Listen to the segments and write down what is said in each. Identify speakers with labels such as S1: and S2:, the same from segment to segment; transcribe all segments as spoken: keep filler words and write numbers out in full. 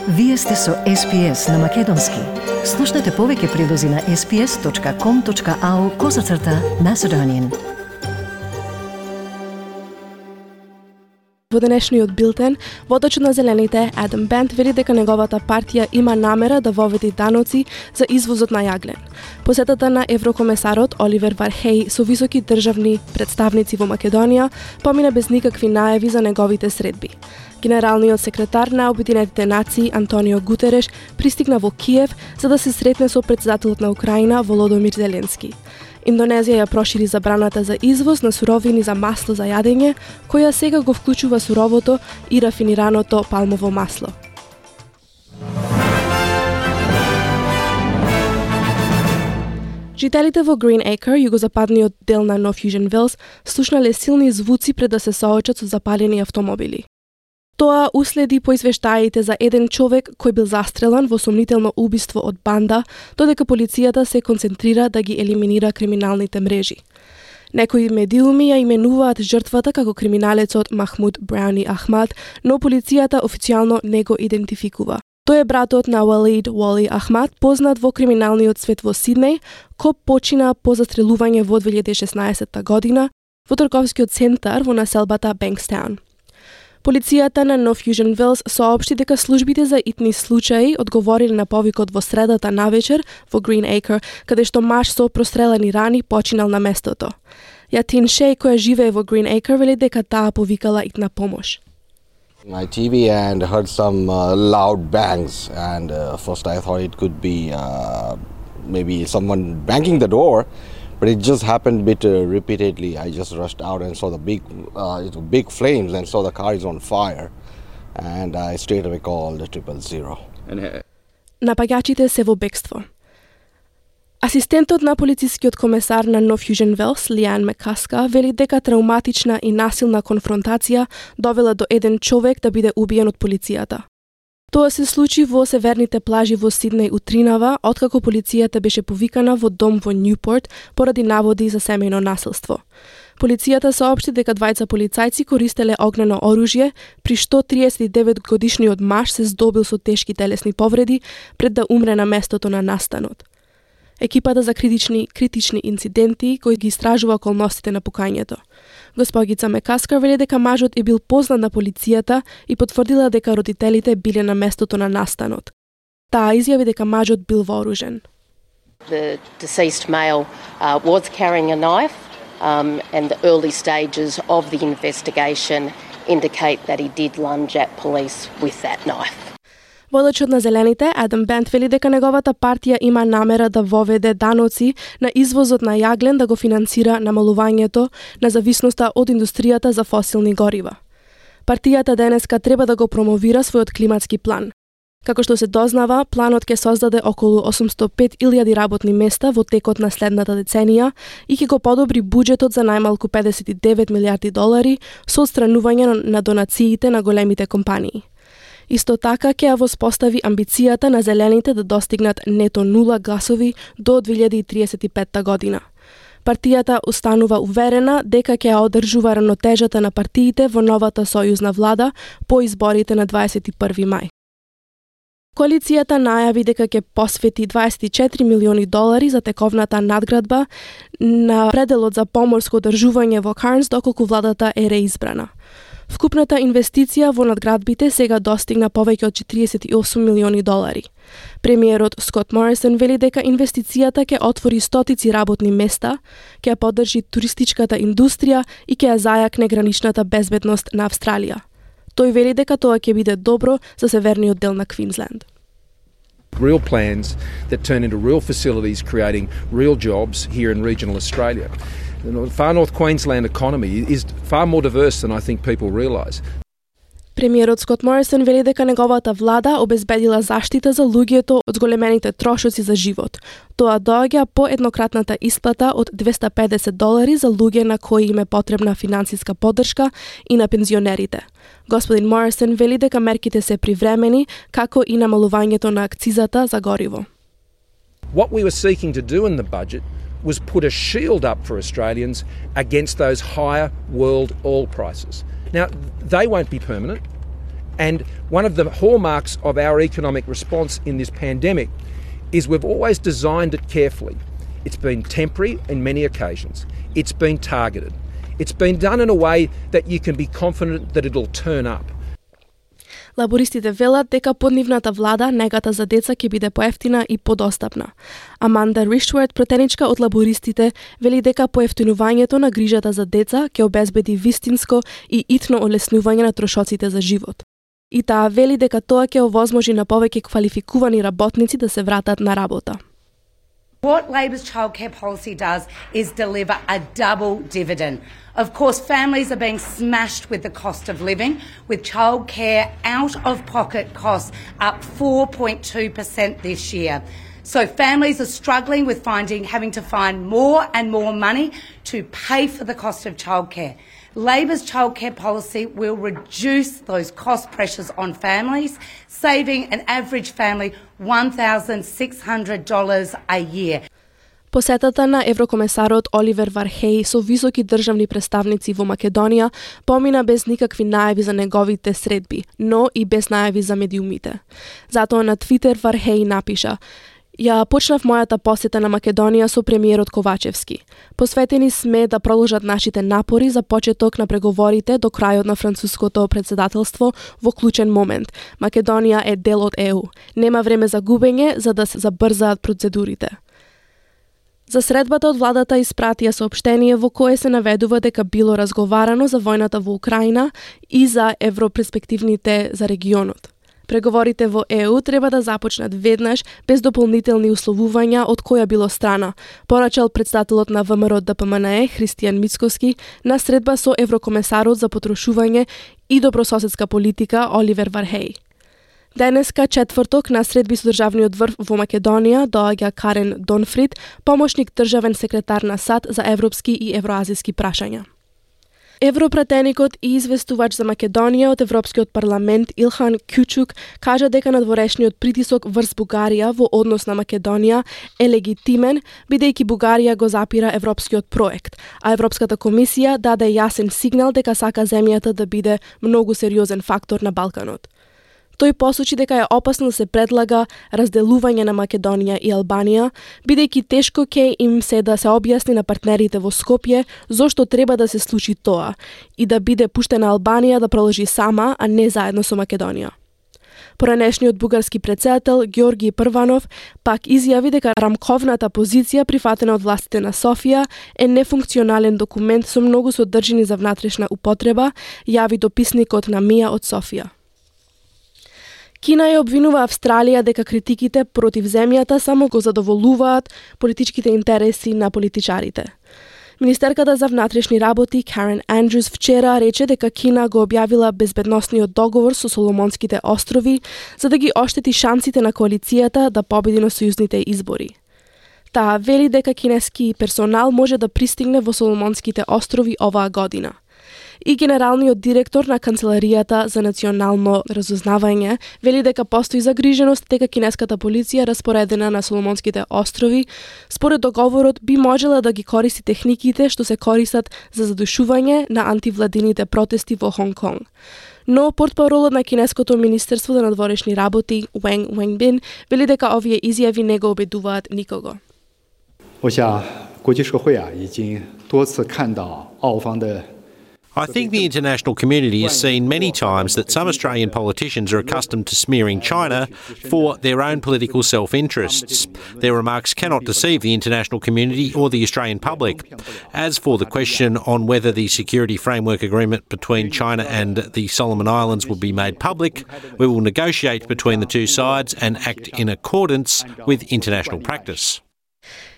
S1: Вие сте со Ес Пи Ес на Македонски. Слушнете повеќе прилози на ес пи ес точка ком точка ау козацрта Macedonian.
S2: Во денешниот билтен, водачот на Зелените, Адам Бент, вели дека неговата партија има намера да воведе даноци за извозот на јаглен. Посетата на еврокомесарот Оливер Вархеј со високи државни представници во Македонија помина без никакви најави за неговите средби. Генералниот секретар на Обединетите нации Антонио Гутереш пристигна во Киев за да се сретне со претседателот на Украина Володомир Зеленски. Индонезија ја прошири забраната за извоз на суровини за масло за јадење, која сега го вклучува суровото и рафинираното палмово масло. Жителите во Green Acre, југозападниот дел на North Fusion Wells, слушнале силни звуци пред да се соочат со запалени автомобили. Тоа уследи по извештаите за еден човек кој бил застрелан во сомнително убиство од банда, додека полицијата се концентрира да ги елиминира криминалните мрежи. Некои медиуми ја именуваат жртвата како криминалецот Махмуд Брауни Ахмад, но полицијата официјално не го идентификува. Тој е братот на Валид Вали Ахмад, познат во криминалниот свет во Сиднеј, кој почина по застрелување во две илјади и шеснаесетта година во трговскиот центар во населбата Бенкстаун. Полицијата на North Fusion Wells соопшти дека службите за итни случаи одговориле на повикот во средата навечер во Green Acre, каде што маж со прострелени рани починал на местото. Јатин Шеј, која живее во Green Acre, вели дека таа повикала итна помош.
S3: My T V and heard some uh, loud bangs, and uh, first I thought it could be uh, maybe someone banging the door. But it just happened a bit uh, repeatedly. I just rushed out and saw the big, uh, big flames and saw the car is on fire. And I straight away called triple zero.
S2: Напаѓачите се во бегство. Асистентот на полицискиот комесар на North Fusion Wells, Лиан Мекаска, вели дека травматична и насилна конфронтација довела до еден човек да биде убиен од полицијата. Тоа се случи во северните плажи во Сиднеј утринава, откако полицијата беше повикана во дом во Нјупорт поради наводи за семејно насилство. Полицијата соопшти дека двајца полицајци користеле огнено оружје, при што триесет и девет годишниот маж се здобил со тешки телесни повреди пред да умре на местото на настанот. Екипата за критични критични инциденти кој ги истражува околностите на пукањето. Госпогица Мекаска вели дека мажот е бил познат на полицијата и потврдила дека родителите биле на местото на настанот. Таа изјави дека мажот бил вооружен.
S4: The deceased male uh, was carrying a knife um, and the early stages of the investigation indicate that he did lunge at police with that knife.
S2: Водачот на Зелените, Адам Бент, вели дека неговата партија има намера да воведе даноци на извозот на јаглен да го финансира намалувањето на зависноста од индустријата за фосилни горива. Партијата денеска треба да го промовира својот климатски план. Како што се дознава, планот ќе создаде околу осумстотини и пет илјади работни места во текот на следната деценија и ќе го подобри буџетот за најмалку педесет и девет милијарди долари со отстранување на донациите на големите компании. Исто така ќе ја воспостави амбицијата на Зелените да достигнат нето нула гласови до две илјади и триесет и петта година. Партијата останува уверена дека ќе ја одржува равнотежата на партиите во новата сојузна влада по изборите на дваесет и први мај. Коалицијата најави дека ќе посвети дваесет и четири милиони долари за тековната надградба на пределот за поморско одржување во Карнс доколку владата е реизбрана. Вкупната инвестиција во надградбите сега достигна повеќе од четириесет и осум милиони долари. Премиерот Скот Морисон вели дека инвестицијата ќе отвори стотици работни места, ќе ја поддржи туристичката индустрија и ќе ја зајакне граничната безбедност на Австралија. Тој вели дека тоа ќе биде добро за северниот дел на Квинсленд.
S5: Real plans that turn into real facilities creating real jobs here in regional Australia. The far north Queensland economy is far more diverse than I think people realise.
S2: Премиерот Скот Морисон вели дека неговата влада обезбедила заштита за луѓето од зголемените трошоци за живот. Тоа доаѓа по еднократната исплата од двесте и педесет долари за луѓе на кои им е потребна финансиска поддршка и на пензионерите. Господин Морисон вели дека мерките се привремени, како и намалувањето на акцизата за гориво.
S5: What we were seeking to do in the budget was put a shield up for Australians against those higher world oil prices. Now, they won't be permanent, And one of the hallmarks of our economic response in this pandemic is we've always designed it carefully. It's been temporary in many occasions. It's been targeted. It's been done in a way that you can be confident that it'll turn up.
S2: Лабористите велат дека под нивната влада негата за деца ќе биде поевтина и подостапна. Аманда Риштворт, претеничка од лабористите, вели дека поевтинувањето на грижата за деца ќе обезбеди вистинско и итно олеснување на трошоците за живот. И таа вели дека тоа ќе овозможи на повеќе квалификувани работници да се вратат на работа.
S6: What Labor's childcare policy does is deliver a double dividend. Of course, families are being smashed with the cost of living, with childcare out-of-pocket costs up four point two percent this year. So families are struggling with finding, having to find more and more money to pay for the cost of childcare. Labor's childcare policy will reduce those cost pressures on families, saving an average family one thousand six hundred dollars a year.
S2: Посетата на еврокомесарот Оливер Вархеј со високи државни представници во Македонија помина без никакви најави за неговите средби, но и без најави за медиумите. Затоа на Твитер Вархеј напиша: Ја почнав мојата посета на Македонија со премиерот Ковачевски. Посветени сме да продолжат нашите напори за почеток на преговорите до крајот на француското председателство во клучен момент. Македонија е дел од Е У. Нема време за губење за да се забрзаат процедурите. За средбата од владата испратија соопштение во кое се наведува дека било разговарано за војната во Украина и за европерспективните за регионот. Преговорите во Е У треба да започнат веднаш, без дополнителни условувања од која било страна, порачал председателот на Вэ Ем Р Д П М Н Е Христијан Мицкоски на средба со еврокомесарот за потрошување и добрососедска политика Оливер Вархеј. Денеска, четврток, на средби со државниот врв во Македонија доаѓа Карен Донфрид, помошник државен секретар на САД за европски и евроазиски прашања. Европратеникот и известувач за Македонија од Европскиот парламент Илхан Кючук кажа дека надворешниот притисок врз Бугарија во однос на Македонија е легитимен, бидејќи Бугарија го запира европскиот проект, а Европската комисија даде јасен сигнал дека сака земјата да биде многу сериозен фактор на Балканот. Тој посочи дека е опасно да се предлага разделување на Македонија и Албанија, бидејќи тешко ќе им се да се објасни на партнерите во Скопје зошто треба да се случи тоа и да биде пуштена Албанија да продолжи сама, а не заедно со Македонија. Поранешниот бугарски претседател Георги Прванов пак изјави дека рамковната позиција прифатена од властите на Софија е нефункционален документ со многу содржини за внатрешна употреба, јави дописникот на Мија од Софија. Кина ја обвинува Австралија дека критиките против земјата само го задоволуваат политичките интереси на политичарите. Министерката за внатрешни работи Карен Андрюс вчера рече дека Кина го објавила безбедносниот договор со Соломонските острови за да ги оштети шансите на коалицијата да победи на сојузните избори. Таа вели дека кинески персонал може да пристигне во Соломонските острови оваа година. И генералниот директор на Канцеларијата за национално разузнавање вели дека постои загриженост дека кинеската полиција распоредена на Соломонските острови според договорот би можела да ги користи техниките што се користат за задушување на антивладините протести во Хонг Конг. Но портпаролот на кинеското министерство за надворешни работи Уенг Уенбин вели дека овие изјави не го обидуваат никого.
S7: 我想国际社会啊已经多次看到澳方的
S8: I think the international community has seen many times that some Australian politicians are accustomed to smearing China for their own political self-interests. Their remarks cannot deceive the international community or the Australian public. As for the question on whether the security framework agreement between China and the Solomon Islands will be made public, we will negotiate between the two sides and act in accordance with international practice.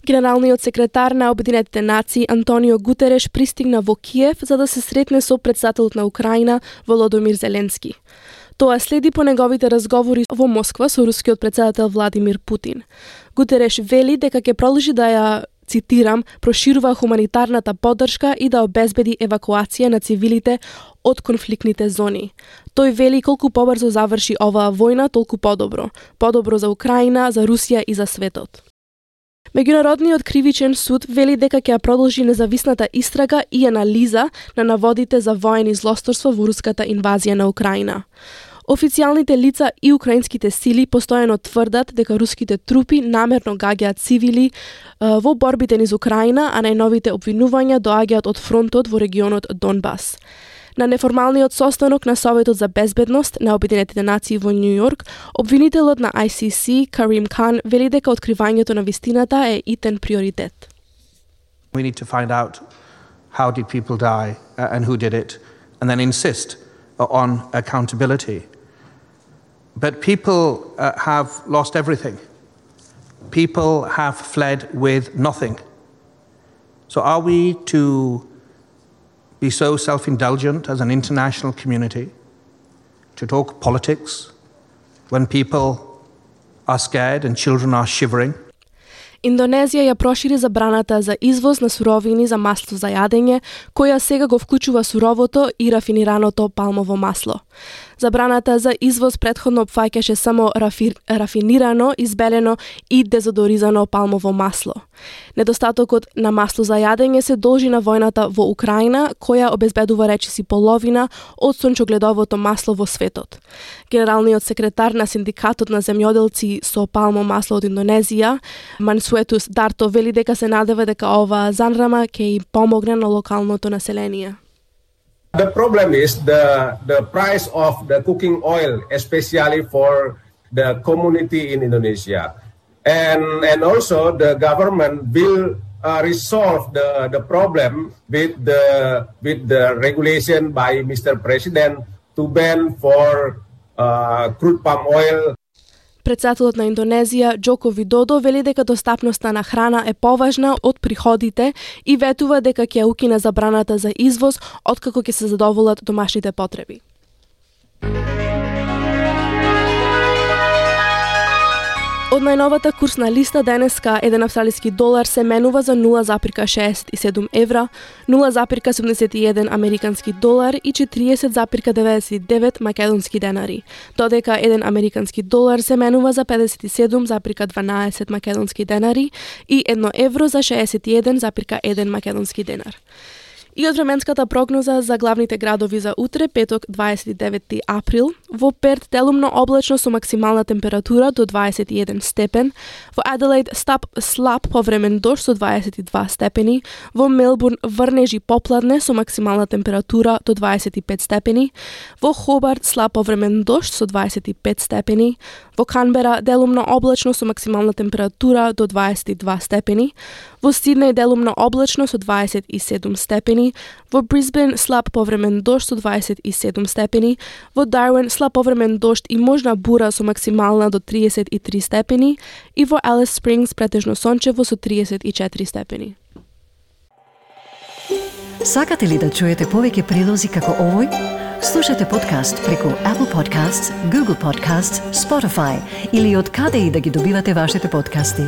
S2: Генералниот секретар на Обединетите нации Антонио Гутереш пристигна во Киев за да се сретне со претседателот на Украина Володомир Зеленски. Тоа следи по неговите разговори во Москва со рускиот претседател Владимир Путин. Гутереш вели дека ќе продолжи да ја, цитирам, проширува хуманитарната поддршка и да обезбеди евакуација на цивилите од конфликтните зони. Тој вели колку побрзо заврши оваа војна, толку подобро. Подобро за Украина, за Русија и за светот. Меѓународниот кривичен суд вели дека ќе продолжи независната истрага и анализа на наводите за воени злосторство во руската инвазија на Украина. Официјалните лица и украинските сили постојано тврдат дека руските трупи намерно гаѓаат цивили во борбите низ Украина, а најновите обвинувања доаѓаат од фронтот во регионот Донбас. На неформалниот состанок на Советот за безбедност на Обединетите нации во Њу Јорк, обвинителот на Ай Си Си, Карим Кан, вели дека откривањето на вистината е итен приоритет.
S9: We need to find out how did people die uh, and who did it, and then insist uh, on accountability. But people uh, have lost everything. People have fled with nothing. So are we to be so self-indulgent as an international community to talk politics when people are scared and children are shivering?
S2: Индонезија ја прошири забраната за извоз на суровини за масло за јадење, која сега го вклучува суровото и рафинираното палмово масло. Забраната за извоз претходно опфаќаше само рафи, рафинирано, избелено и дезодоризано палмово масло. Недостатокот на масло за јадење се должи на војната во Украина, која обезбедува речиси половина од сончогледовото масло во светот. Генералниот секретар на Синдикатот на земјоделци со палмо масло од Индонезија, Мансуетус Дарто, вели дека се надева дека оваа занрама ќе им помогне на локалното население.
S10: The problem is the the price of the cooking oil, especially for the community in Indonesia, and and also the government will uh, resolve the the problem with the with the regulation by Mister President to ban for uh, crude palm oil.
S2: Председателот на Индонезија, Џоко Видодо, вели дека достапноста на храна е поважна од приходите и ветува дека ќе укине забраната за извоз откако ќе се задоволат домашните потреби. Од најновата курсна листа денеска еден австралиски долар се менува за нула запирка шеесет и седум евра, нула запирка седумдесет и еден американски долар и четириесет запирка деветдесет и девет македонски денари, додека еден американски долар се менува за педесет и седум запирка дванаесет македонски денари и едно евро за шеесет и еден запирка еден македонски денар. И од временската прогноза за главните градови за утре, петок, дваесет и деветти април, во Перт делумно облачно со максимална температура до дваесет и еден степен, во Аделаид стап слаб повремен дожд со дваесет и два степени, во Мелбурн врнежи попладне со максимална температура до дваесет и пет степени, во Хобарт слаб повремен дожд со дваесет и пет степени, во Канбера делумно облачно со максимална температура до дваесет и два степени, во Сиднеј делумно облачно со дваесет и седум степени, во Брисбен слаб повремен дожд со дваесет и седум степени, во Дарвин слаб повремен дожд и можна бура со максимална до триесет и три степени и во Алис Спрингс претежно сончево со триесет и четири степени.
S1: Сакате ли да чуете повеќе прилози како овој? Слушате подкаст преку Apple Podcasts, Google Podcasts, Spotify или од каде и да ги добивате вашите подкасти.